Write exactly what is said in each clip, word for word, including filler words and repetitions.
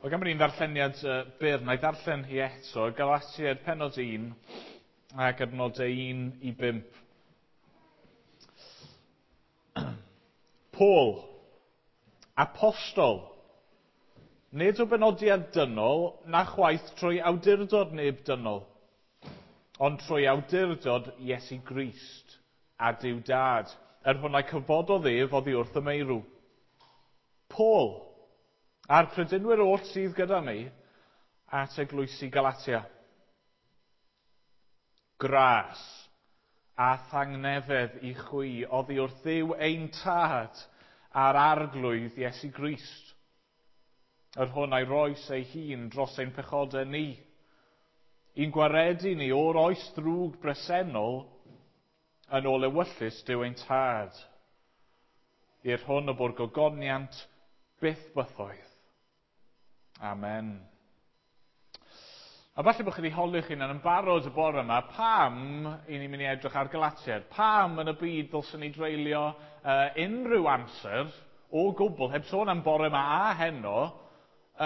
Wel, gan bod ni'n ddarlleniad uh, byr, na i ddarllen hi eto, Galatiaid pennod un ac adnodau un i bump. Paul, apostol, nid o benodiad dynol, na chwaith trwy awdurdod neb dynol, ond trwy awdurdod Iesu Grist a Duw Dad, yr hwn a'i cyfododd ef oddi wrth y meirw. Paul, a'r credinwyr oll sydd gyda mi, at eglwysi Galatia. Gras a thangnefedd i chwi oddi wrth Dduw ein Tad a'r Arglwydd Iesu Grist, yr hwn a'i roes ei hun dros ein pechodau ni, i'n gwaredu ni o'r oes ddrwg bresennol yn ôl ewyllys Duw ein Tad, i'r hwn y bo'r gogoniant byth bythoedd. Amen. A falle bod chi wedi holi'ch hunan yn barod y bore yma, pam i ni'n mynd i edrych ar Galatiaid? Pam yn y byd ddylswn ni dreulio uh, unrhyw amser o gwbl, heb sôn am bore yma a heno,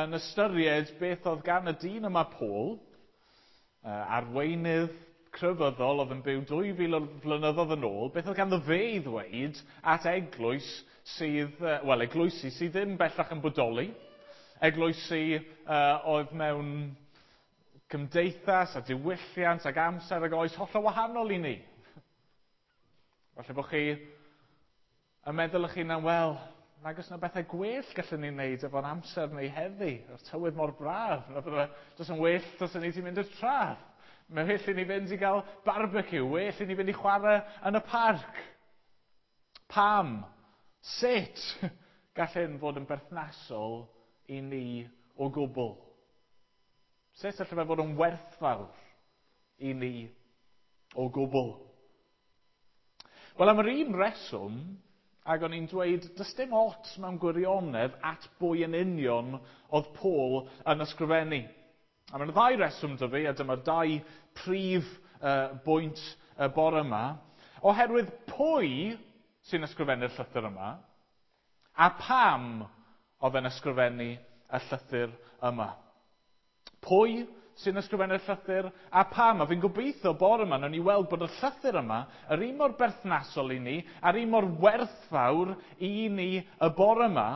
yn ystyried beth oedd gan y dyn yma Paul, uh, arweinydd crefyddol oedd yn byw dwy fil o flynyddoedd yn ôl, beth oedd ganddo fe i ddweud at eglwys sydd, uh, wel, eglwysi sydd ddim bellach yn bodoli, eglwysi uh, oedd mewn cymdeithas a diwylliant ac amser ag oes hollol wahanol i ni. Falle bod chi yn meddwl eich hunan, wel, nag oes yna bethau gwell gallwn ni wneud efo'n amser neu heddi, o'r tywydd mor braf, na bydde, does yn well does yn ni ti mynd i'r traeth. Mae well i ni fynd i gael barbecue, well i ni fynd i chwarae yn y parc. Pam? Sut gall hyn fod yn berthnasol i ni o gwbl? Sut allai fe fod yn werthfawr i ni o gwbl? Wel, am yr un reswm, ac o'n i'n dweud, does dim ots mewn gwirionedd at bwy yn union oedd Paul yn ysgrifennu. A mae'n ddau reswm 'da fi, a dyma'r dau prif uh, bwynt y bore yma, oherwydd pwy sy'n ysgrifennu'r llythyr yma, a pam oedd yn ysgrifennu y llythyr yma. Pwy sy'n ysgrifennu'r llythyr a pam? A fi'n gobeithio bore yma, nawn ni weld bod y llythyr yma yr un mor berthnasol i ni, a'r un mor werthfawr i ni y bore yma,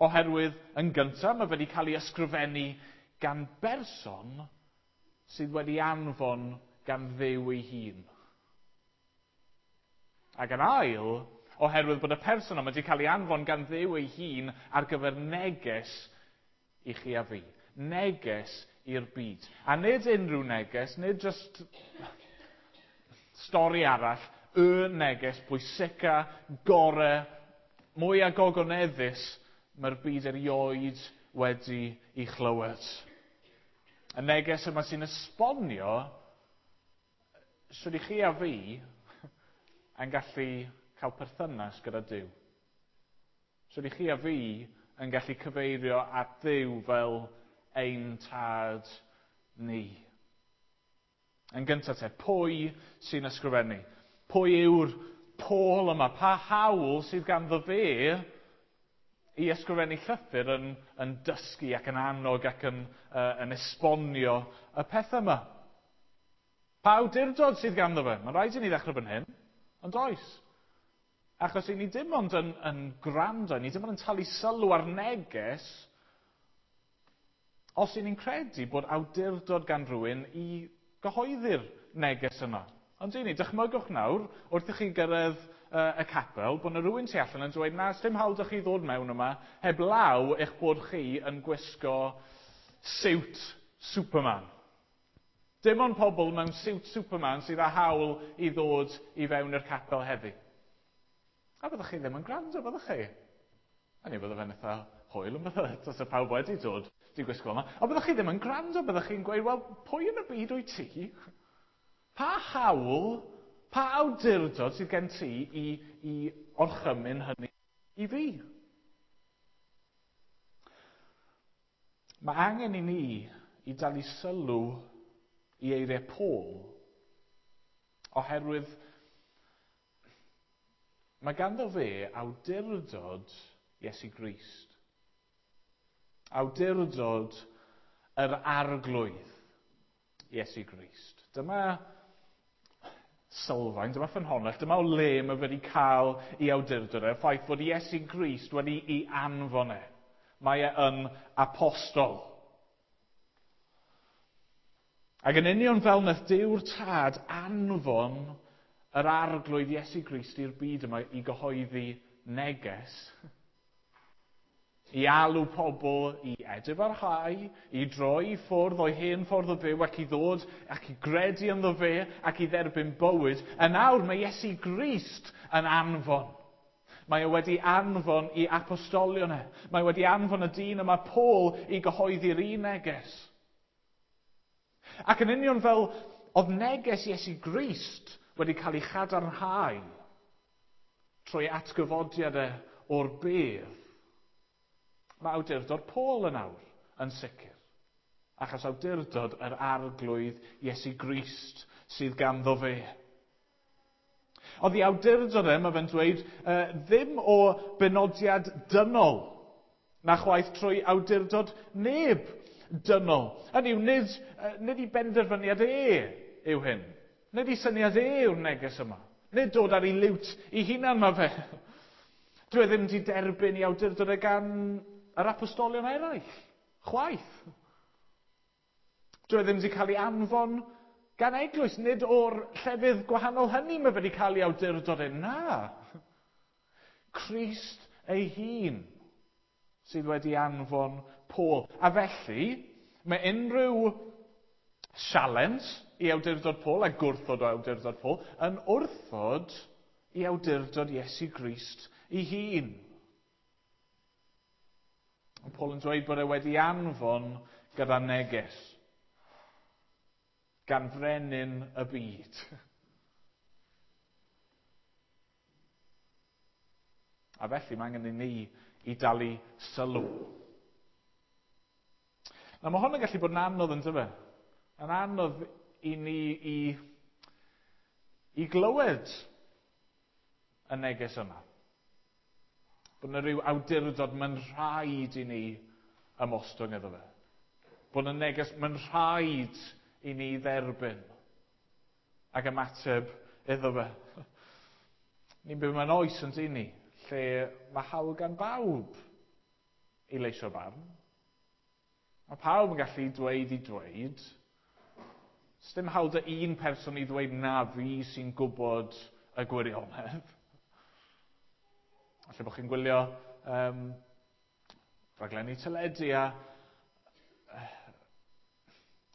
oherwydd yn gyntaf mae wedi cael ei ysgrifennu gan berson sydd wedi anfon gan Dduw ei hun. Ac yn ail, oherwydd bod y person yma wedi cael ei anfon gan Dduw ei hun ar gyfer neges i chi a fi. Neges i'r byd. A nid unrhyw neges, nid just stori arall, y neges bwysica, gore, mwyaf gogoneddus mae'r byd erioed wedi ei chlywed. Y neges yma sy'n esbonio sut i chi a fi yn gallu cael perthynas gyda Duw. Sut i chi a fi yn gallu cyfeirio at Dduw fel ein tad ni. Yn gyntaf te, pwy sy'n ysgrifennu? Pwy yw'r Paul yma? Pa hawl sydd ganddo fe i ysgrifennu llythyr yn, yn dysgu ac yn annog ac yn, uh, yn esbonio y pethau yma? Pa awdurdod sydd ganddo fe? Mae'n rhaid i ni ddechrau fan hyn, ond oes. Achos i ni dim ond yn, yn gwrando, ni dim ond yn talu sylw ar neges, os i ni'n credu bod awdurdod gan rhywun i gyhoeddi'r neges yma. Ond i ni, dychmygwch nawr, wrth i chi gyrraedd uh, y capel, bod yna rhywun tu allan yn dweud, na, dim hawl 'da chi ddod mewn yma, heb law eich bod chi yn gwisgo siwt Superman. Dim ond pobl mewn siwt Superman sydd â hawl i ddod i fewn i'r capel heddi. A byddwch chi ddim yn gwrando, byddwch chi? A ni bydde fe'n eitha hwyl yn bydde, os y pawb wedi dod di gwisgo yma. Ond byddwch chi ddim yn gwrando, byddwch chi'n gweud, wel, pwy yn y byd wyt ti? Pa hawl, pa awdurdod sydd gen ti i, i orchymyn hynny i fi? Mae angen i ni i dalu sylw i eiriau Paul, oherwydd mae ganddo fe awdurdod Iesu Grist. Awdurdod yr Arglwydd Iesu Grist. Dyma sylfaen, dyma ffynhonnell, dyma o le mae wedi cael ei awdurdod e, y ffaith bod Iesu Grist wedi ei anfon e. Mae e yn apostol. Ac yn union fel nath Duw'r Tad anfon yr Arglwydd Iesu Grist i'r byd yma i gyhoeddi neges, i alw pobl i edifarhau, i droi i ffwrdd o'i hen ffordd o fyw ac i ddod ac i gredu ynddo fe ac i dderbyn bywyd. Yn awr mae Iesu Grist yn anfon. Mae e wedi anfon i apostolion e. Mae wedi anfon y dyn yma Paul i gyhoeddi'r un neges. Ac yn union fel oedd neges Iesu Grist wedi cael ei chadarnhau trwy atgyfodiad e o'r bedd, mae awdurdod Paul yn awr yn sicr. Achos awdurdod yr Arglwydd Iesu Grist sydd ganddo fe. Oedd ei awdurdod e, mae fe'n dweud, ddim o benodiad dynol, na chwaith trwy awdurdod neb dynol. Hynny yw, nid, nid i benderfyniad e yw hyn. Nid i syniad e yw'r neges yma. Nid dod ar ei liwt i hunan mae fe. Dwi e ddim wedi derbyn i awdurdod e gan yr apostolion eraill. Chwaith. Dwi e ddim wedi cael ei anfon gan eglwys. Nid o'r llefydd gwahanol hynny mae wedi cael ei awdurdod e. Na. Crist ei hun sydd wedi anfon Paul. A felly, mae unrhyw sialens i awdurdod Paul a gwrthod o awdurdod Paul yn wrthod i awdurdod Iesu Grist ei hun. Ond Paul yn dweud bod e wedi anfon gyda neges gan frenin y byd. A felly mae angen i ni i dalu sylw. Nawr mae hwn yn gallu bod yn anodd yn dyfe? Yn anodd i ni i, i glywed y neges yma. Bod yna rhyw awdurdod mae'n rhaid i ni ymostwng iddo fe. Bod yna neges mae'n rhaid i ni dderbyn ac ymateb iddo fe. Ni'n byw mewn oes yn dyn ni, lle mae hawl gan bawb i leisio barn. Mae pawb yn gallu dweud i dweud. Sdim hawl dy un person i ddweud na fi sy'n gwybod y gwirionedd. Falle bod chi'n gwylio um, rhaglenni teledu a...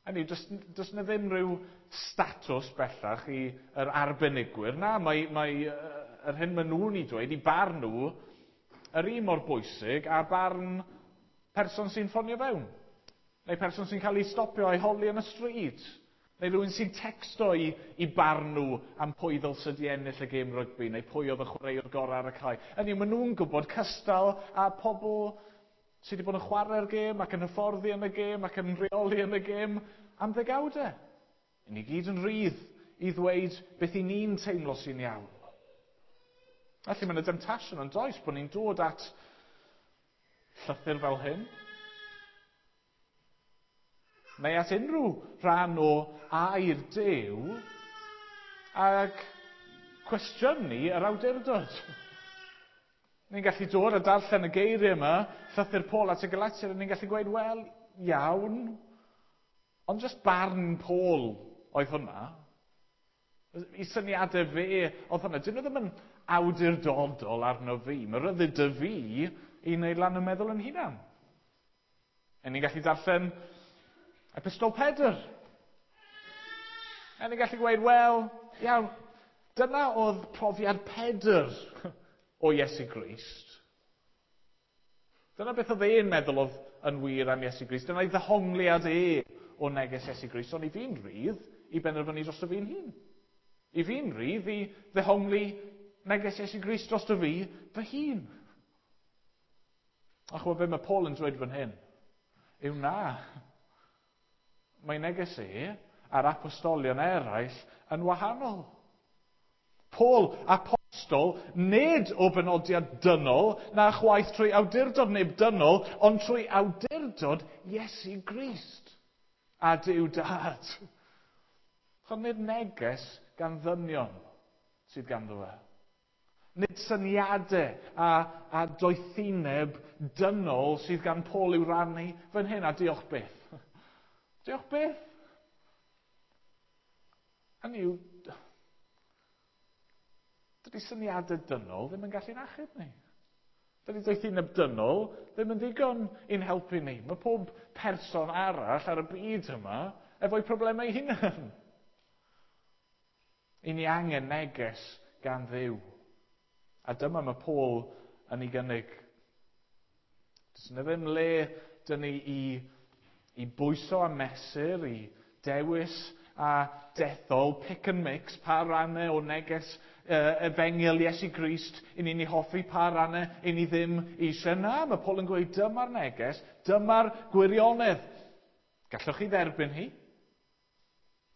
Hynny, does, does na ddim rhyw statws bellach i yr arbenigwyr. Na, mae, mae yr hyn maen nhw'n ei dweud, i barn nhw, yr un mor bwysig a barn person sy'n ffonio fewn. Neu person sy'n cael ei stopio a'i holi yn y stryd. Neu rhywun sy'n texto i, i barn nhw am pwy ddylse di ennill y gêm rygbi, neu pwy oedd y chwaraewr gorau ar y cae. Hynny, maen nhw'n gwybod cystal a pobl sydd wedi bod yn chwarae'r gêm ac yn hyfforddi yn y gêm ac yn rheoli yn y gêm am ddegawdau. I ni gyd yn rhydd i ddweud beth i ni'n teimlo sy'n iawn. Felly mae yna demtasiwn yn does bod ni'n dod at llythyr fel hyn. Neu at unrhyw rhan o air Duw ac cwestiynu yr awdurdod. Ni'n gallu dod a darllen y geiriau yma, llythyr Paul at y Galatiaid, a ni'n gallu gweud, wel, iawn, ond just barn Paul oedd hwnna. I syniadau fe oedd hwnna. Dyn nhw ddim yn awdurdodol arno fi. Mae rhyddid dy fi i wneud lan y meddwl yn hunan. A ni'n gallu darllen Epistol Pedr. A ni'n gallu gweud, wel, iawn, dyna oedd profiad Pedr o Iesu Grist. Dyna beth oedd e'n meddwl oedd yn wir am Iesu Grist. Dyna ei ddehongliad e o neges Iesu Grist. Ond i fi'n rhydd i benderfynu drosto fi'n hun. I fi'n rhydd i ddehongli neges Iesu Grist drosto fi fy hun. A chwbod be mae Paul yn dweud fan hyn? Yw na. Mae neges e a'r apostolion eraill yn wahanol. Paul, apostol, apostol, nid o benodiad dynol, na chwaith trwy awdurdod neb dynol, ond trwy awdurdod Iesu Grist a Duw Dad. Chod nid neges gan ddynion sydd ganddo fe. Nid syniadau a, a doethineb dynol sydd gan Paul i'w rannu fan hyn, a diolch byth. Diolch byth. Hynny yw, dydy syniadau dynol ddim yn gallu'n achub ni. Dydy doethineb dynol ddim yn ddigon i'n helpu ni. Mae pob person arall ar y byd yma efo'i problemau ei hunan. I ni angen neges gan Dduw. A dyma mae Paul yn ei gynnig. Does yna ddim le dyn ni i, i bwyso a mesur, i dewis a dethol, pick and mix, pa rannau o neges uh, efengyl Iesu Grist i ni'n ei hoffi, pa rannau i ni ddim eisiau. Na, mae Paul yn gweud dyma'r neges, dyma'r gwirionedd. Gallwch chi dderbyn hi?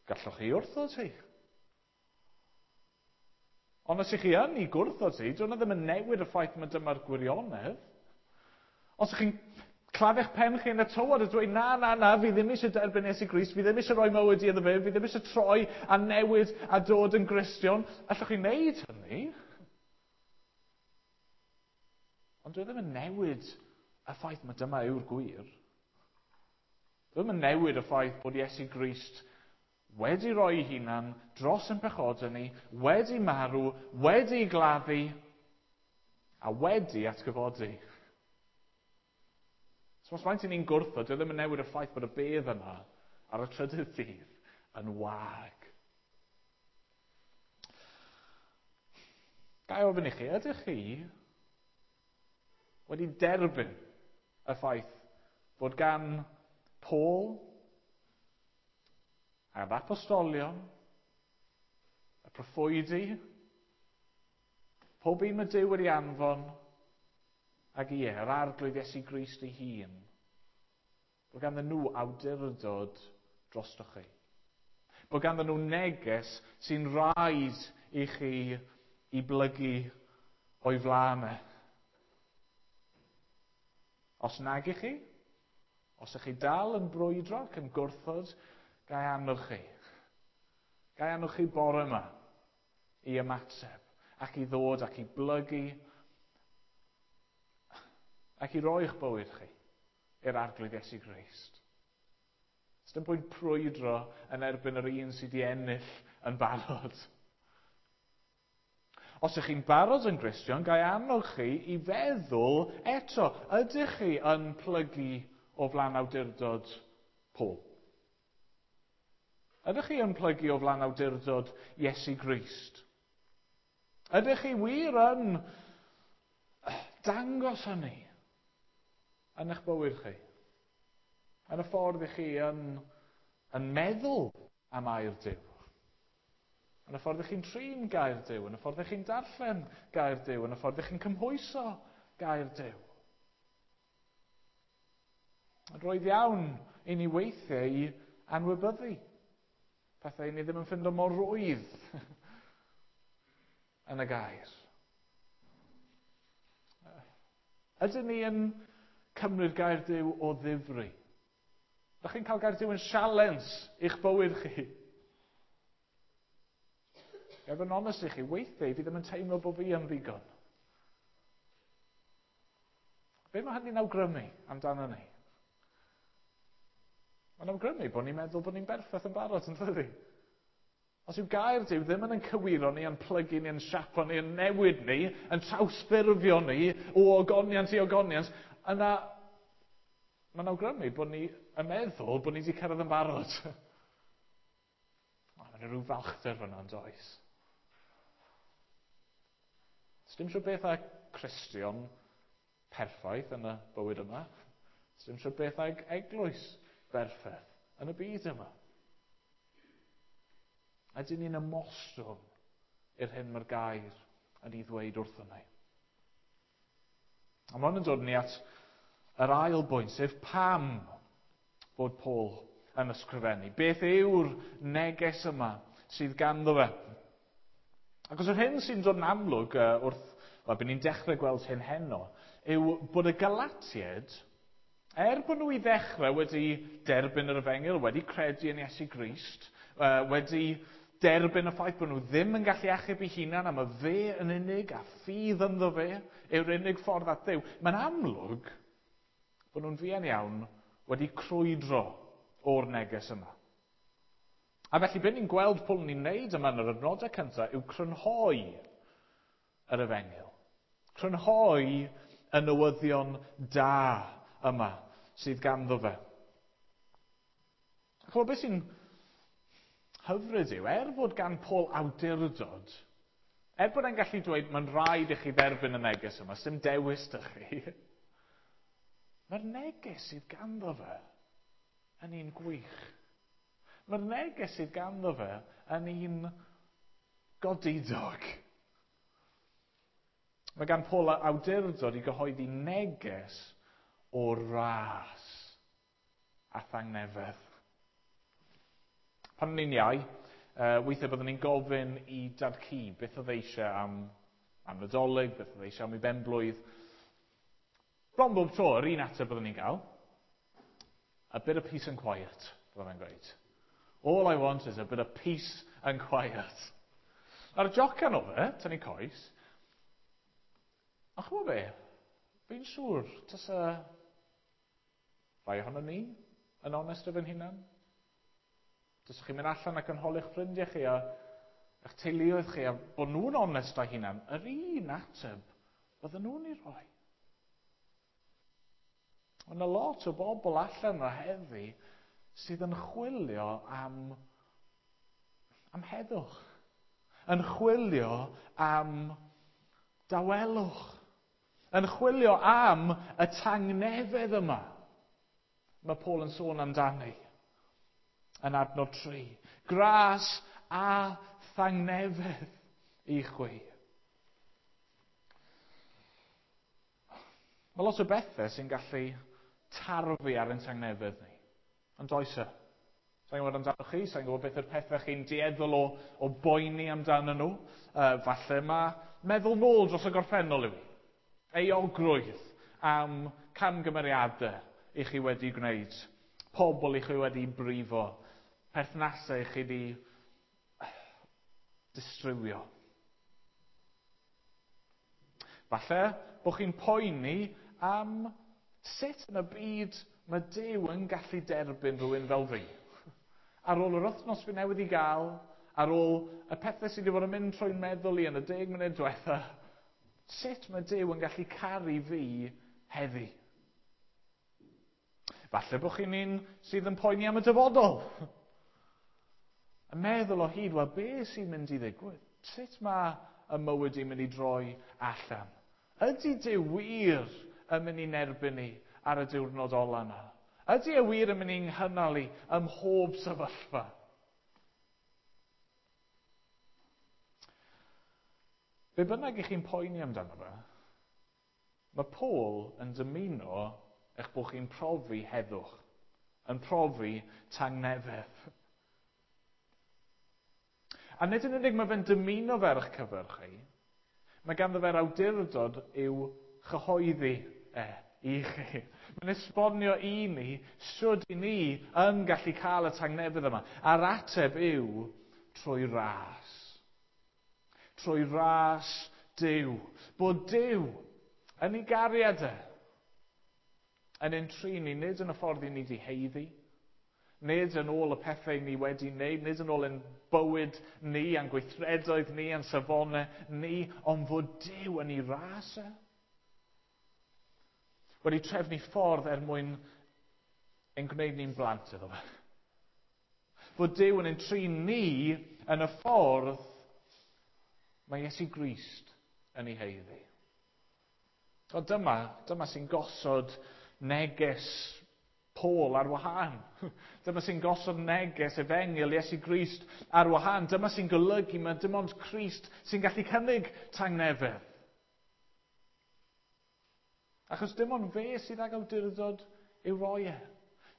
Gallwch chi wrthod hi? Ond os ych chi yn ei gwrthod hi, dyna ddim yn newid y ffaith mae dyma'r gwirionedd. Os ych chi'n claddu'ch pen chi yn y tywod a dweud, na, na, na, fi ddim eisiau derbyn Iesu Grist, fi ddim eisiau rhoi mywyd i iddo fe, fi ddim eisiau troi a newid a dod yn Gristion, allwch chi wneud hynny? Ond dwi ddim yn newid y ffaith mae dyma yw'r gwir. Dwi ddim yn newid y ffaith bod Iesu Grist wedi rhoi ei hunan dros yn pechodau ni, wedi marw, wedi gladdu, a wedi atgyfodi. So os faint i ni'n gwrthod, dwi ddim yn newid y ffaith bod y bedd yna ar y trydydd dydd yn wag. Ga i ofyn i chi, ydych chi wedi derbyn y ffaith bod gan Paul a'r apostolion, y proffwydi, pob un mae Duw wedi anfon, ac ie, yr Arglwydd Iesu Grist ei hun, bod ganddyn nhw awdurdod drostoch chi. Bod ganddyn nhw neges sy'n rhaid i chi i blygu o'i flaen e. Os nag i chi, os ych chi dal yn brwydro ac yn gwrthod, gai annog chi. Gai annog chi bore yma i ymateb ac i ddod ac i blygu ac i roi'ch bywyd chi i'r Arglwydd Iesu Grist. Does dim pwynt prwydro yn erbyn yr un sydd wedi ennill yn barod. Os ydych chi'n barod yn Gristion, gai annog chi i feddwl eto, ydych chi yn plygu o flaen awdurdod Paul? Ydych chi yn plygu o flaen awdurdod Iesu Grist? Ydych chi wir yn dangos hynny yn eich bywyd chi? Yn y ffordd i chi yn, yn meddwl am air Duw? Yn y ffordd i chi'n trin gair Duw? Yn y ffordd i chi'n darllen gair Duw? Yn y ffordd i chi'n cymhwyso gair Duw? Roedd iawn i ni weithiau i anwybyddu pethau ni ddim yn ffindo mor rwydd yn y gair. Ydyn ni yn cymryd gair Duw o ddifri? Ydych chi'n cael gair Duw yn sialens i'ch bywyd chi? Ga i fod yn onest i chi, weithiau fi ddim yn teimlo bod fi yn ddigon. Be mae hynny'n awgrymu amdano ni? Mae'n awgrymu bod ni'n meddwl bod ni'n berffaith yn barod, yn dydi? Os yw gair Duw ddim yn cywiro ni, yn plygu ni, yn siapo ni, yn newid ni, yn trawsffurfio ni o ogoniant i ogoniant, yna mae'n awgrymu bod ni yn meddwl bod ni wedi cyrraedd yn barod. Mae'n rhyw falchder fyna, yn does? Does dim siŵr beth â Cristion perffaith yn y bywyd yma. Does dim siŵr beth ag eglwys berffaith yn y byd yma. Ydyn ni'n ymostwng i'r hyn mae'r gair yn ei ddweud wrthon ni. A mae hwn yn dod ni at yr ail bwynt, sef pam bod Paul yn ysgrifennu. Beth yw'r neges yma sydd ganddo fe? Ac os yr hyn sy'n dod yn amlwg uh, wrth, wel, byd ni'n dechrau gweld hyn heno, yw bod y Galatiaid, er bod nhw i ddechrau wedi derbyn yr efengyl, wedi credu yn Iesu Grist, uh, wedi derbyn y ffaith bod nhw ddim yn gallu achub eu hunan am y fe yn unig a ffydd ynddo fe yw'r unig ffordd at Dduw, mae'n amlwg bod nhw'n fuan iawn wedi crwydro o'r neges yma. A felly beth ni'n gweld Paul ni'n neud yma yn yr adnodau cyntaf yw crynhoi yr efengyl. Crynhoi y newyddion da yma sydd ganddo fe. A chymod beth sy'n hyfryd yw, er fod gan Paul awdurdod, er bod e'n gallu dweud mae'n rhaid i chi dderbyn y neges yma, sy'm dewis dych chi, mae'r neges sydd ganddo fe yn un gwych. Mae'r neges sydd ganddo fe yn un godidog. Mae gan Paul awdurdod i gyhoeddi neges o ras a thangnefedd. Pan o'n i'n iau, uh, weithiau byddwn ni'n gofyn i dad cu beth oedd eisiau am, am Nadolig, beth oedd eisiau am ei benblwydd. Bron bob tro, yr un ateb byddwn ni'n gael, a bit of peace and quiet, byddwn ni'n gweud. All I want is a bit of peace and quiet. A'r jocan o fe, tynnu coes, a chymod be, fi'n siŵr, tasa rai ohono ni yn onest efo'n hunan. Tasa chi'n mynd allan ac yn holi'ch ffrindiau chi a eich teuluoedd chi a bod nhw'n onest â hunan, yr un ateb bydden nhw'n ei rhoi. Mae yna lot o bobl allan yna heddi sydd yn chwilio am, am heddwch. Yn chwilio am dawelwch. Yn chwilio am y tangnefedd yma. Mae Paul yn sôn amdani yn adnod tri. Gras a thangnefedd i chwi. Mae lot o bethau sy'n gallu tarfu ar ein tangnefedd ni. Ond oes e? Sa'n gwybod amdano chi, sa'n gwybod beth yw'r pethau chi'n dueddol o, o boeni amdano nhw. Uh, falle mae meddwl nôl dros y gorffennol yw i. Euogrwydd am camgymeriadau i chi wedi gwneud. Pobl i chi wedi brifo. Perthnasau i chi wedi distrywio. Falle bod chi'n poeni am sut yn y byd mae Duw yn gallu derbyn rhywun fel fi. Ar ôl yr wythnos fi newydd i gael, ar ôl y pethau sydd wedi bod yn mynd trwy'n meddwl i yn y deg munud diwetha, sut mae Duw yn gallu caru fi heddi? Falle bod chi'n un sydd yn poeni am y dyfodol. Yn meddwl o hyd, wel, be sy'n mynd i ddigwydd? Sut mae y mywyd i'n mynd i droi allan? Ydy Duw wir yn mynd i'n erbyn ni ar y diwrnod ola yna? Ydy e wir yn mynd i'n nghynnal i ym mhob sefyllfa? Be bynnag i chi'n poeni amdano fe, mae Paul yn dymuno eich bod chi'n profi heddwch, yn profi tangnefedd. A nid yn unig mae fe'n dymuno fe ar eich cyfer chi, mae ganddo fe'r awdurdod i'w chyhoeddi e i chi. Mae'n esbonio i ni sut i ni yn gallu cael y tangnefedd yma. A'r ateb yw trwy ras. Trwy ras Duw. Bod Duw yn ei gariad e yn ein trin ni, nid yn y ffordd i ni wedi haeddu, nid yn ôl y pethau ni wedi wneud, nid yn ôl ein bywyd ni, a'n gweithredoedd ni, a'n safonau ni, ond fod Duw yn ei ras e. Wedi trefnu ffordd er mwyn ein gwneud ni'n blant iddo fe. Fod Duw yn ein trin ni yn y ffordd mae Iesu Grist yn ei haeddu. O dyma, dyma sy'n gosod neges Paul ar wahân. Dyma sy'n gosod neges efengyl Iesu Grist ar wahân. Dyma sy'n golygu mae dim ond Crist sy'n gallu cynnig tangnefedd. Achos dim ond fe sydd ag awdurdod i'w roi e.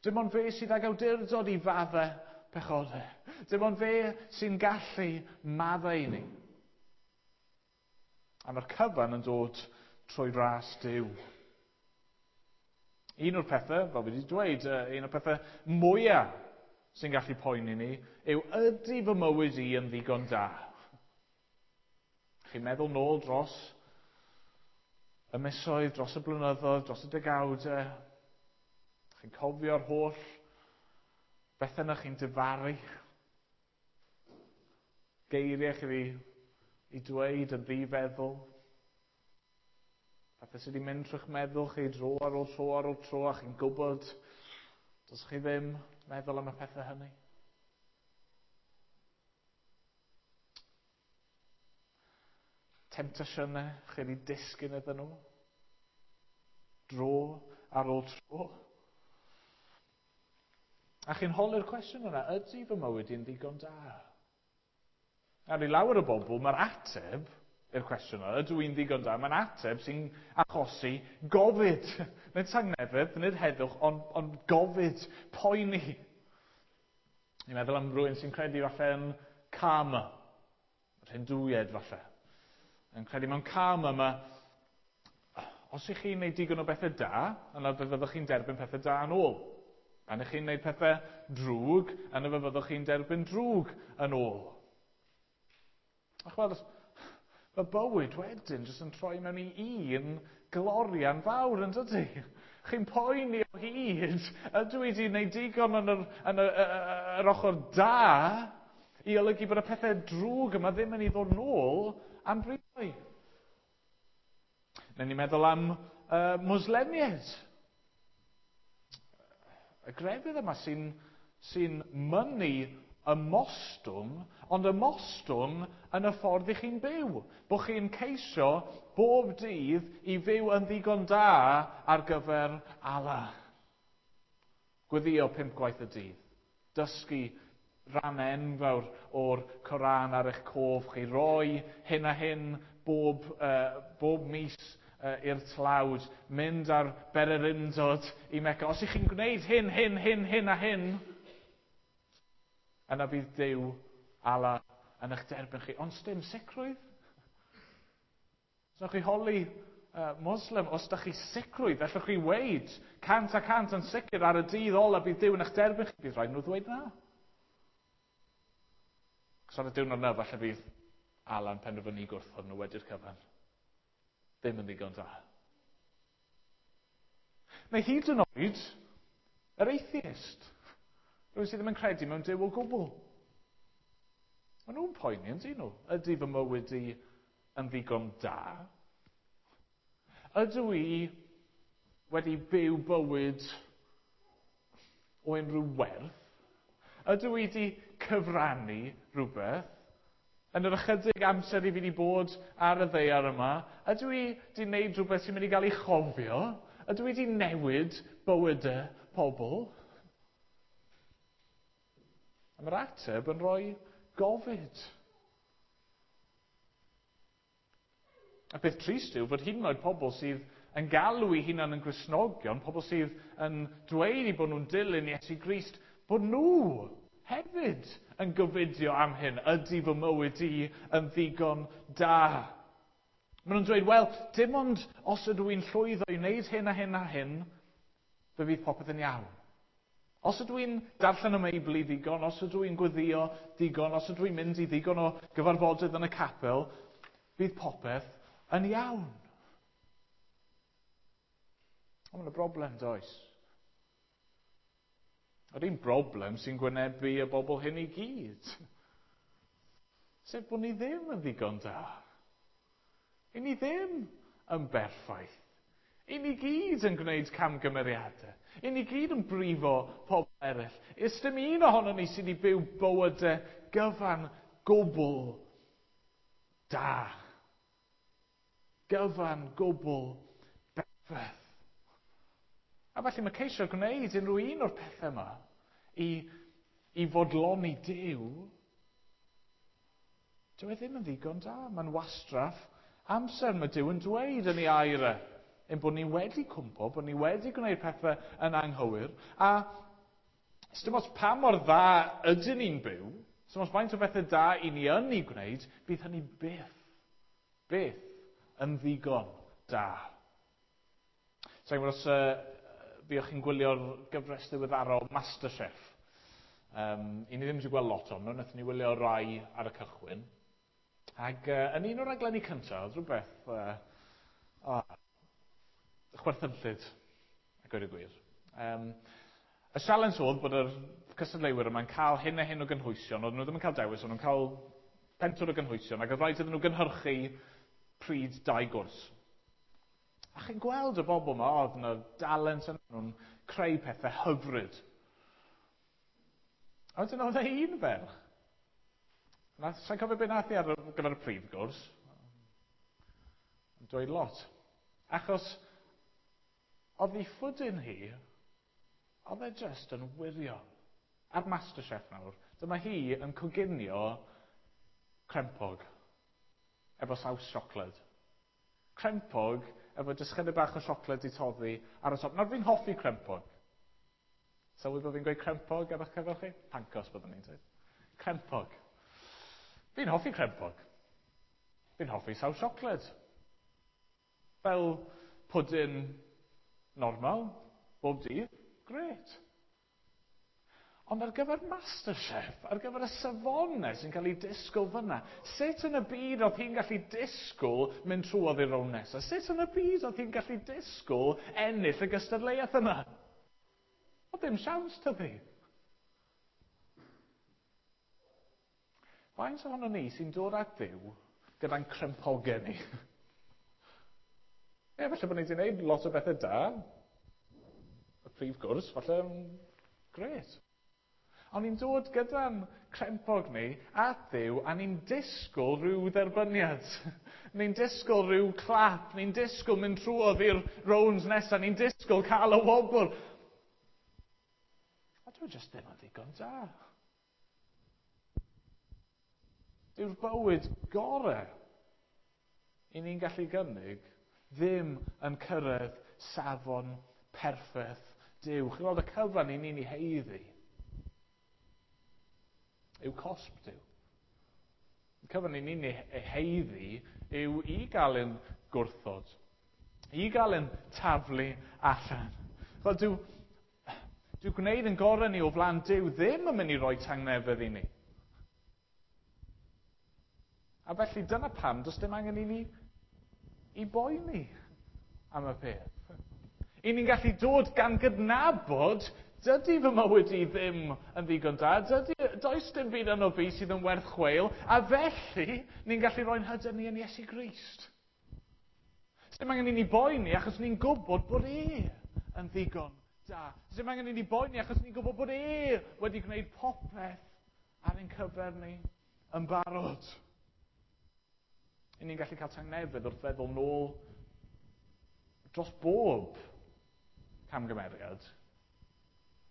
Dim ond fe sydd ag awdurdod i faddau pechodau. Dim ond fe sy'n gallu maddau i ni. A mae'r cyfan yn dod trwy ras Duw. Un o'r pethau, fel fi wedi dweud, un o'r pethau mwyaf sy'n gallu poeni ni yw ydy fy mywyd i yn ddigon da? Chi'n meddwl nôl dros y misoedd, dros y blynyddoedd, dros y degawdau. Chi'n cofio'r holl bethau na chi'n difaru. Geiriau chi i dweud yn ddifeddwl. Pethau sydd wedi mynd trwy'ch meddwl chi dro ar ôl tro ar ôl tro a chi'n gwybod does chi ddim meddwl am y pethau hynny. Temptasiynau chi wedi disgyn iddyn nhw. Dro ar ôl tro. A chi'n holi'r cwestiwn yna, ydy fy mywyd i'n ddigon da? Ar i lawer o bobl, mae'r ateb i'r cwestiwn yna, ydw i'n ddigon da? Mae'n ateb sy'n achosi gofid. Nid tangnefedd, nid heddwch, ond, ond gofid, poeni. Ni'n meddwl am rhywun sy'n credu falle yn karma, yr Hindwiaid falle. Yn credu mewn karma, mae, os ych chi'n gwneud digon o bethau da, yna fe fyddwch chi'n derbyn pethau da yn ôl. Pan ych chi'n gwneud pethau drwg, yna fe fyddwch chi'n derbyn drwg yn ôl. A chweld, mae bywyd wedyn jyst yn troi mewn i un glorian fawr, yn dydy? Chi'n poeni o hyd, ydw i wedi gwneud digon yn yr, yn yr, yr ochr da i olygu bod y pethau drwg yma ddim yn ei ddod nôl am bryd. Neu ni'n meddwl am uh, Mwslemiaid. Y grefydd yma sy'n sy mynnu ymostwng, ond ymostwng yn y ffordd i chi'n byw. Bod chi'n ceisio bob dydd i fyw yn ddigon da ar gyfer Allah. Gweddio pump gwaith y dydd. Dysgu rhan enfawr o'r Coran ar eich cof chi. Roi hyn a hyn bob, uh, bob mis uh, i'r tlawd. Mynd ar bererindod i Mecca. Os ych chi'n gwneud hyn, hyn, hyn, hyn a hyn, yna bydd Duw, Allah, yn eich derbyn chi. Ond sdim sicrwydd. Os chi holi uh, Muslim, os da chi sicrwydd, allwch chi weid cant a cant yn sicr ar y dydd ola bydd Duw yn eich derbyn chi. Bydd rhaid nhw ddweud na. Cos ar y diwrnod yna, falle bydd Allah yn penderfynu gwrthod nhw wedi'r cyfan. Ddim yn ddigon da. Neu hyd yn oed, yr atheist. Rhywun sydd ddim yn credu mewn Duw o gwbl. Maen nhw'n poeni, yn dyn nhw. Ydy fy mywyd i yn ddigon da? Ydw i wedi byw bywyd o unrhyw werth? Ydw i wedi cyfrannu rhywbeth? Yn yr ychydig amser i fi wedi bod ar y ddaear yma, ydw i wedi gwneud rhywbeth sy'n mynd i gael ei chofio? Ydw i wedi newid bywydau pobl? A mae'r ateb yn rhoi gofid. A peth trist yw fod hyd yn oed pobl sydd yn galw eu hunain yn Gristnogion, pobl sydd yn dweud eu bod nhw'n dilyn Iesu Grist, bod nhw hefyd yn gofidio am hyn. Ydy fy mywyd i yn ddigon da? Maen nhw'n dweud, wel, dim ond os ydw i'n llwyddo i wneud hyn a hyn a hyn, fe fydd popeth yn iawn. Os ydw i'n darllen y Meibl i ddigon, os ydw i'n gweddio digon, os ydw i'n mynd i ddigon o gyfarfodydd yn y capel, bydd popeth yn iawn. Ond mae'n broblem, does? Yr un broblem sy'n gwynebu y bobl hyn i gyd. Sef bod ni ddim yn ddigon da. I ni ddim yn berffaith. I ni gyd yn gwneud camgymeriadau. I ni gyd yn brifo pobl eraill. Is dim un ohono ni sydd wedi byw bywydau gyfan gwbl da. Gyfan gwbl berffaith. A felly mae ceisio gwneud unrhyw un o'r pethau yma i, i fodloni Duw, dyw e ddim yn ddigon da. Mae'n wastraff amser. Mae Duw yn dweud yn ei air e, ein bod ni wedi cwmpo, bod ni wedi gwneud pethau yn anghywir, a dim ots pa mor dda ydyn ni'n byw, dim ots faint o bethau da i ni yn ei gwneud, bydd hynny byth, byth yn ddigon da. Sa'n gwybod os uh, fuoch chi'n gwylio'r gyfres ddiweddarol MasterChef. Um, I ni ddim wedi gweld lot o'n nhw, wnaethon ni wylio rai ar y cychwyn. Ac uh, yn un o'r raglenni cyntaf, oedd rhywbeth uh, oh, chwerthynllyd, a gweud y gwir. Um, y sialens oedd bod yr cystadleuwyr yma'n cael hyn a hyn o gynhwysion, oedden nhw ddim yn cael dewis, oedden nhw'n cael pentwr o gynhwysion, ac oedd rhaid iddyn nhw gynhyrchu pryd dau gwrs. A chi'n gweld y bobl yma, oedd yna dalent yn nhw'n creu pethau hyfryd. A wedyn oedd e un ferch. Sa'n cofio beth nath i ar gyfer y prif gwrs? Yn dweud lot. Achos oedd ei phwdin hi, oedd e just yn wirion. Ar MasterChef nawr, dyma hi yn coginio crempog efo saws siocled. Crempog efo jyst chydig bach o siocled i toddi ar y top. Nawr fi'n hoffi crempog. Sylwi bod fi'n gweud crempog ar eich cyfer chi? Pancos byddwn ni'n dweud. Crempog. Fi'n hoffi crempog. Fi'n hoffi saws siocled. Fel pwdin normal, bob dydd, grêt. Ond ar gyfer MasterChef, ar gyfer y safonau sy'n cael ei disgwyl fyna, sut yn y byd oedd hi'n gallu disgwyl mynd trwodd i'r rownd nesaf? Sut yn y byd oedd hi'n gallu disgwyl ennill y gystadleuaeth yna? Oedd ddim siawns tydi. Faint ohono ni sy'n dod at Dduw gyda'n crempogau ni? Ie, falle bod ni wedi gwneud lot o bethau da. Y prif gwrs, falle, grêt. Ond ni'n dod gyda'n crempog ni at Dduw a ni'n disgwyl rhyw dderbyniad. Ni'n disgwyl rhyw clap, ni'n disgwyl mynd trwodd i'r rounds nesaf, ni'n disgwyl cael y wobr. A dwi jyst ddim yn ddigon da. Dyw'r bywyd gorau i ni'n gallu gynnig ddim yn cyrraedd safon perffaith Duw. Chi'n gweld y cyfan i ni'n ei haeddu yw cosb Duw. Y cyfan i ni'n ei haeddu yw i gael ein gwrthod, i gael ein taflu allan. Ch'mod, dyw, dyw gwneud yn gorau ni o flaen Duw ddim yn mynd i roi tangnefedd i ni. A felly dyna pam does dim angen i ni i boeni am y peth. I ni'n gallu dod gan gydnabod, dydy fy mywyd i ddim yn ddigon da, dydy, does dim byd yno fi sydd yn werth chweil, a felly ni'n gallu roi'n hyder ni yn Iesu Grist. Dim angen i ni boeni achos ni'n gwybod bod e yn ddigon da. Dim angen i ni boeni achos ni'n gwybod bod e wedi gwneud popeth ar ein cyfer ni yn barod. I ni'n gallu cael tangnefedd wrth feddwl nôl dros bob camgymeriad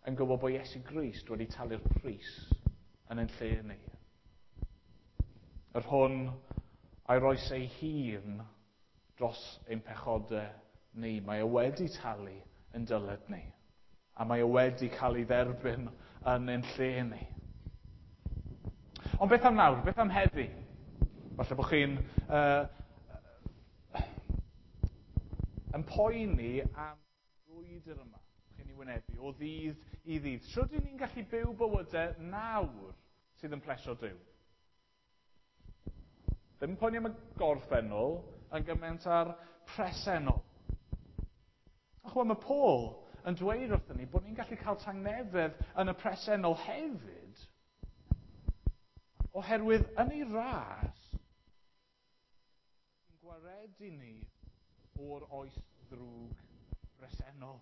yn gwybod bod Iesu Grist wedi talu'r pris yn ein lle ni. Yr hwn a'i roes ei hun dros ein pechodau ni. Mae e wedi talu yn dyled ni. A mae e wedi cael ei dderbyn yn ein lle ni. Ond beth am nawr? Beth am heddi? Falle bod chi'n uh, yn poeni am brwydr yma chi'n ei wynebu o ddydd i ddydd. Sut ydyn ni'n gallu byw bywydau nawr sydd yn plesio Duw? Ddim yn poeni am y gorffennol yn gymaint ar presennol. A chwa, mae Paul yn dweud wrthyn ni bod ni'n gallu cael tangnefedd yn y presennol hefyd, oherwydd yn ei ras, yn gwaredu ni o'r oes ddrwg bresennol.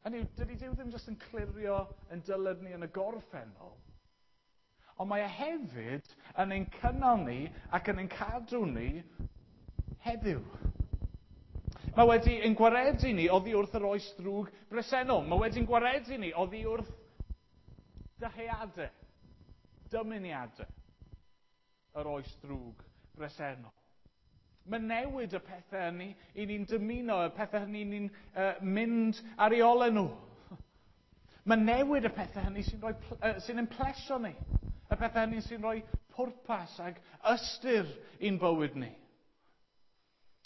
Hynny yw, dydy Duw ddim jyst yn clirio yn dyled ni yn y gorffennol, ond mae e hefyd yn ein cynnal ni ac yn ein cadw ni heddiw. Mae wedi ein gwaredu ni oddi wrth yr oes ddrwg bresennol. Mae wedi'n gwaredu ni oddi wrth dyheadau, dymuniadau yr oes ddrwg bresennol. Mae newid y pethau hynny i ni'n dymuno, y pethau hynny ni'n uh, mynd ar ei olau nhw. Mae newid y pethau hynny sy'n rhoi, uh, sy'n ein plesio ni. Y pethau hynny sy'n rhoi pwrpas ag ystyr i'n bywyd ni.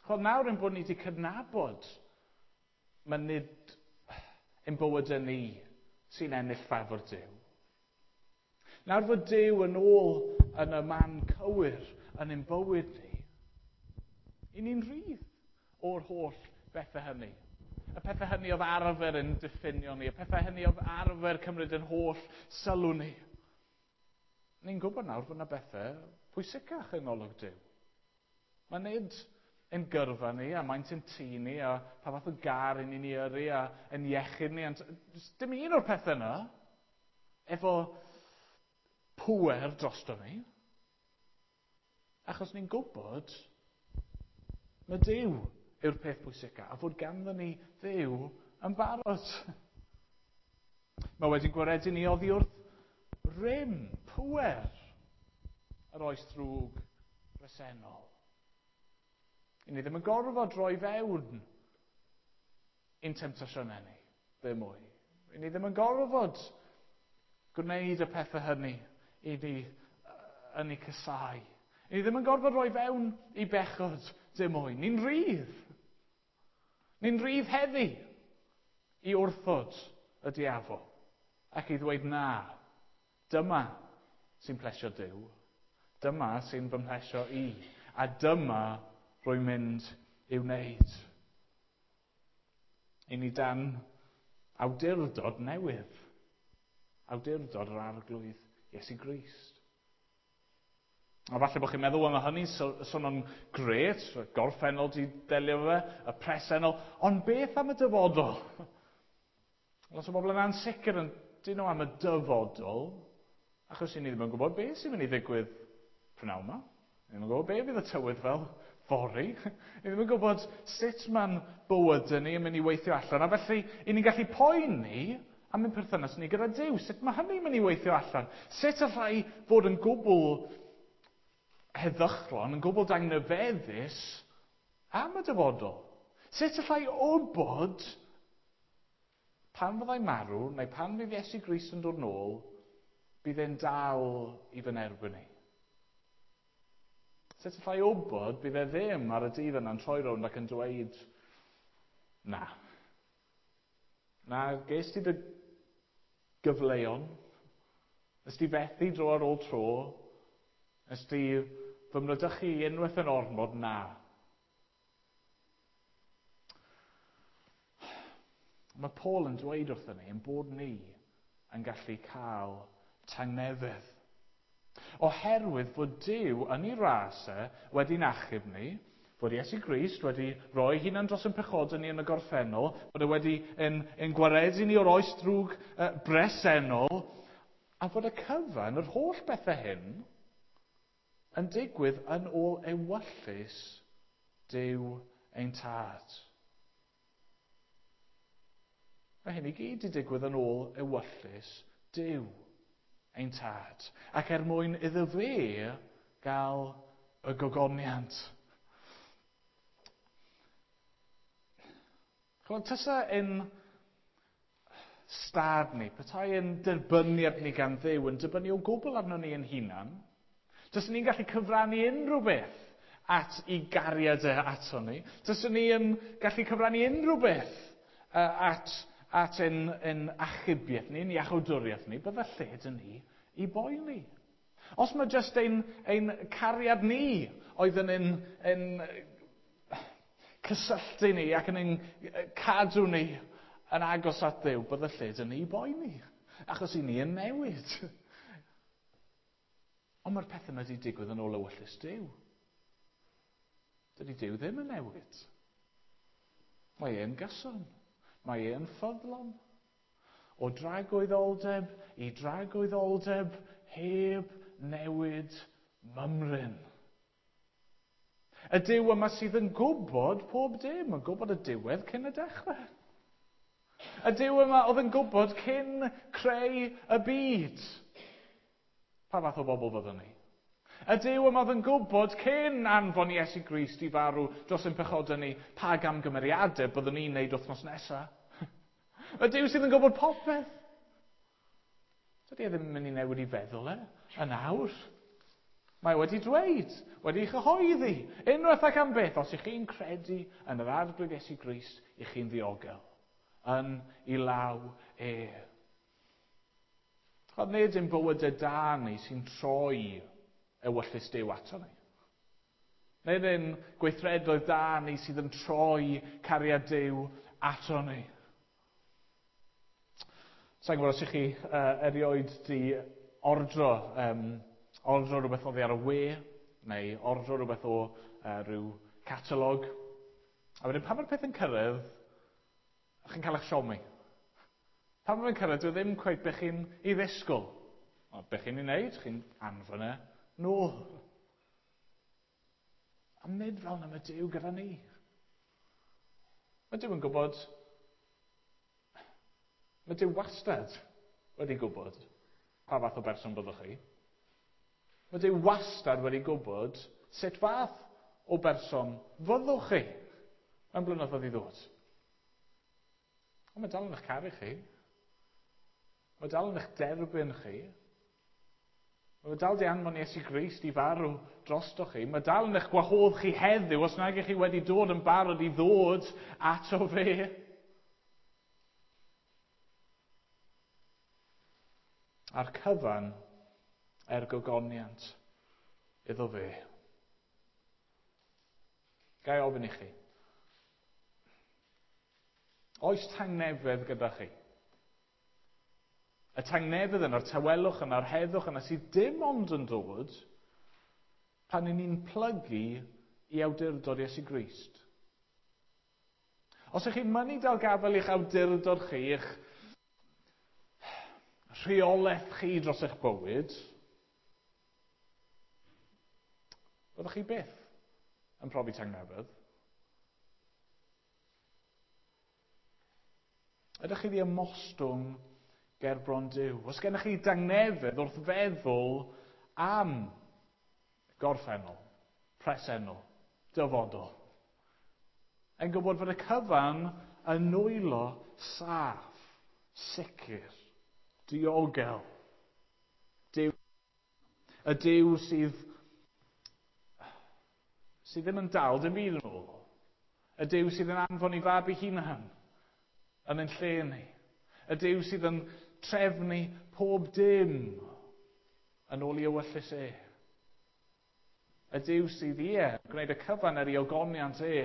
Chod nawr ein bod ni wedi cydnabod mae nid ein bywydau ni sy'n ennill ffafr Duw. Nawr fod Duw yn ôl yn y man cywir yn ein bywyd ni, i ni'n rhydd o'r holl bethau hynny. Y pethau hynny oedd arfer yn diffinio ni, y pethau hynny oedd arfer cymryd yn holl sylw ni. Ni'n gwybod nawr fod yna bethau pwysicach yng ngolwg Duw. Mae nid ein gyrfa ni, a maint ein tŷ ni, a pa fath o gar i ni'n ei yrru, a ein iechyd ni. Ond dim un o'r pethau yna efo pŵer drosto ni. Achos ni'n gwybod mae Duw yw'r peth pwysica, a fod ganddo ni Dduw yn barod. Mae wedi gwaredu ni oddi wrth rym, pŵer, yr oes ddrwg bresennol. I ni ddim yn gorfod roi fewn i'n temtasiynau ni, ddim mwy. I ni ddim yn gorfod gwneud y pethau hynny i ni yn ei cysau. I ni ddim yn gorfod rhoi fewn i bechod dim mwy. Ni'n rhydd. Ni'n rhydd heddi i wrthod y diafol ac i ddweud na, dyma sy'n plesio Duw, dyma sy'n fy mhlesio i, a dyma rwy'n mynd i'w wneud. I ni dan awdurdod newydd, awdurdod yr Arglwydd Iesu Grist. A falle bod chi'n meddwl, wel, mae hynny'n swnio'n grêt, y gorffennol di delio fe, y presennol, ond beth am y dyfodol? Lot o bobl yn ansicr yn dyn nhw am y dyfodol, achos i ni ddim yn gwybod beth sy'n mynd i ddigwydd prynhawn yma. Ni ddim yn gwybod beth fydd y tywydd fel fory. Ni ddim yn gwybod sut mae'n bywydau ni yn mynd i weithio allan. A felly, i ni'n gallu poeni am ein perthynas ni gyda Duw. Sut mae hynny'n mynd i weithio allan? Sut allai fod yn gwbl heddychlon, yn gwbl dangnefeddus am y dyfodol? Sut allai wybod pan fyddai marw, neu pan fydd Iesu Grist yn dod nôl, bydd e'n dal i fy nerbyn i? Sut allai wybod bydd e ddim ar y dydd yna'n troi rownd ac yn dweud, na. Na, ges ti dy gyfleon, nes ti fethu dro ar ôl tro, nes ti fy mrydychu unwaith yn ormod, na. Mae Paul yn dweud wrthyn ni ein bod ni yn gallu cael tangnefedd. Oherwydd fod Duw yn ei ras e wedi'n achub ni, fod Iesu Grist wedi rhoi hunan dros ein pechodau ni yn y gorffennol, bod e wedi ein, ein gwaredu ni o'r oes drwg uh, bresennol, a fod y cyfan, yr holl bethau hyn, yn digwydd yn ôl ewyllys Duw ein tad. Mae hyn i gyd wedi digwydd yn ôl ewyllys Duw ein tad. Ac er mwyn iddo fe gael y gogoniant. Chymod, tysa ein stad ni, petai ein derbyniad ni gan Dduw yn dibynnu o gwbl arno ni ein hunan, tysa ni'n gallu cyfrannu unrhyw beth at i gariad e ato ni, tysa ni yn gallu cyfrannu unrhyw beth at at ein, ein achubiaeth ni, ein iachawdwriaeth ni, bydde lle dyn ni i boeni. Os mae jyst ein, ein cariad ni oedd yn ein, ein cysylltu ni ac yn ein cadw ni yn agos at Dduw, bydde lle dyn ni i boeni. Achos i ni yn newid. Ond mae'r pethau yma wedi digwydd yn ôl ewyllys Duw. Dydy Duw ddim yn newid. Mae e'n gyson. Mae e'n ffyddlon. O dragwyddoldeb i dragwyddoldeb heb newid mymryn. Y Duw yma sydd yn gwybod pob dim, yn gwybod y diwedd cyn y dechrau. Y Duw yma oedd yn gwybod cyn creu y byd. Pa fath o bobl fyddwn ni? Y Duw yma oedd yn gwybod cyn anfon Iesu Grist i farw dros ein pechodau ni, pa gamgymeriadau byddwn ni'n neud wythnos nesaf. Y Duw sydd yn gwybod popeth. Dydy e ddim yn mynd i newid i feddwl e, yn awr. Mae wedi dweud, wedi chyhoeddi, unwaith ac am byth, os ych chi'n credu yn yr Arglwydd Iesu Grist, ych chi'n ddiogel, yn ei law e. Chod, nid ein bywydau da ni sy'n troi ewyllys Duw ato ni. Nid ein gweithredoedd da ni sydd yn troi cariad Duw ato ni. Sa'n gwybod os ych chi uh, erioed di ordro, um, ordro rhywbeth oddi ar y we, neu ordro rhywbeth o uh, rhyw catalog. A wedyn pan mae'r peth yn cyrraedd, chi'n cael eich siomi. Pan mae'n cyrraedd, dwi ddim cweit be chi'n ei ddisgwyl. O, be chi'n ei wneud, chi'n anfon e nôl. A nid fel na mae Duw gyda ni. Mae Duw yn gwybod, mae Duw wastad wedi gwybod pa fath o berson byddwch chi. Mae Duw wastad wedi gwybod sut fath o berson fyddwch chi mewn blynyddoedd i ddod. Ond mae dal yn eich caru chi. Mae dal yn eich derbyn chi. Mae dal di anfon Iesu Grist i farw drostoch chi. Mae dal yn eich gwahodd chi heddiw os nag ych chi wedi dod yn barod i ddod ato fe. A'r cyfan er gogoniant iddo fe. Ga i ofyn i chi. Oes tangnefedd gyda chi? Y tangnefedd yna'r tawelwch yna'r heddwch yna sydd dim ond yn dod pan y'n ni'n plygu i awdurdod Iesu Grist. Os ych chi'n mynnu dal gafael i'ch awdurdod chi, i'ch rheolaeth chi dros eich bywyd, byddwch chi byth yn profi tangnefedd. Ydych chi 'di ymostwng ger bron Duw? Os gennych chi dangnefedd wrth feddwl am gorffennol, presennol, dyfodol, yn gwybod fod y cyfan yn nwylo saff, sicr, diogel. Duw, y Duw sydd, sydd ddim yn dal dim byd yn ôl. Y Duw sydd yn anfon i fab ei hunan yn ein lle ni. Y Duw sydd yn trefnu pob dim yn ôl i ewyllys e. Y Duw sydd ie, gwneud y cyfan er ei ogoniant e,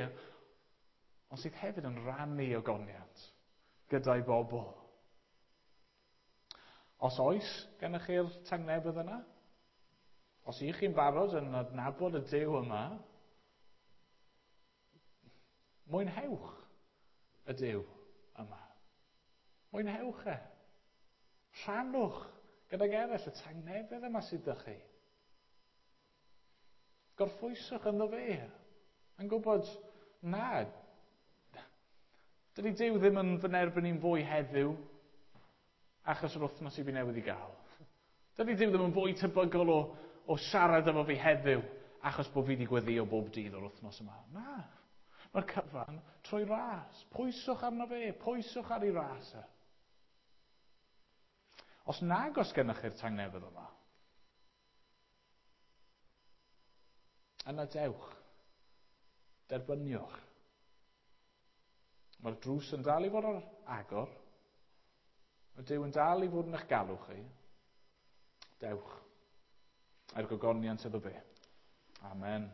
ond sydd hefyd yn rhannu ogoniant gyda'i bobl. Os oes gennych chi'r tangnefedd yna, os ych chi'n barod yn adnabod y Duw yma, mwynhewch y Duw yma. Mwynhewch e. Rhannwch gydag eraill y tangnefedd yma sydd 'da chi. Gorffwyswch ynddo fe. Yn gwybod, na, dydy Duw ddim yn fy nerbyn i'n fwy heddiw achos yr wythnos i fi newydd i gael. Dydy Duw ddim yn fwy tebygol o, o siarad efo fi heddiw achos bod fi wedi gweddïo bob dydd o'r wythnos yma. Na, mae'r cyfan trwy ras. Pwyswch arno fe, pwyswch ar ei ras e. Os nag oes gennych chi'r tangnefedd yma, yna dewch, derbyniwch. Mae'r drws yn dal i fod ar agor. Mae Duw yn dal i fod yn eich galw chi. Dewch. Er gogoniant iddo fe. Amen.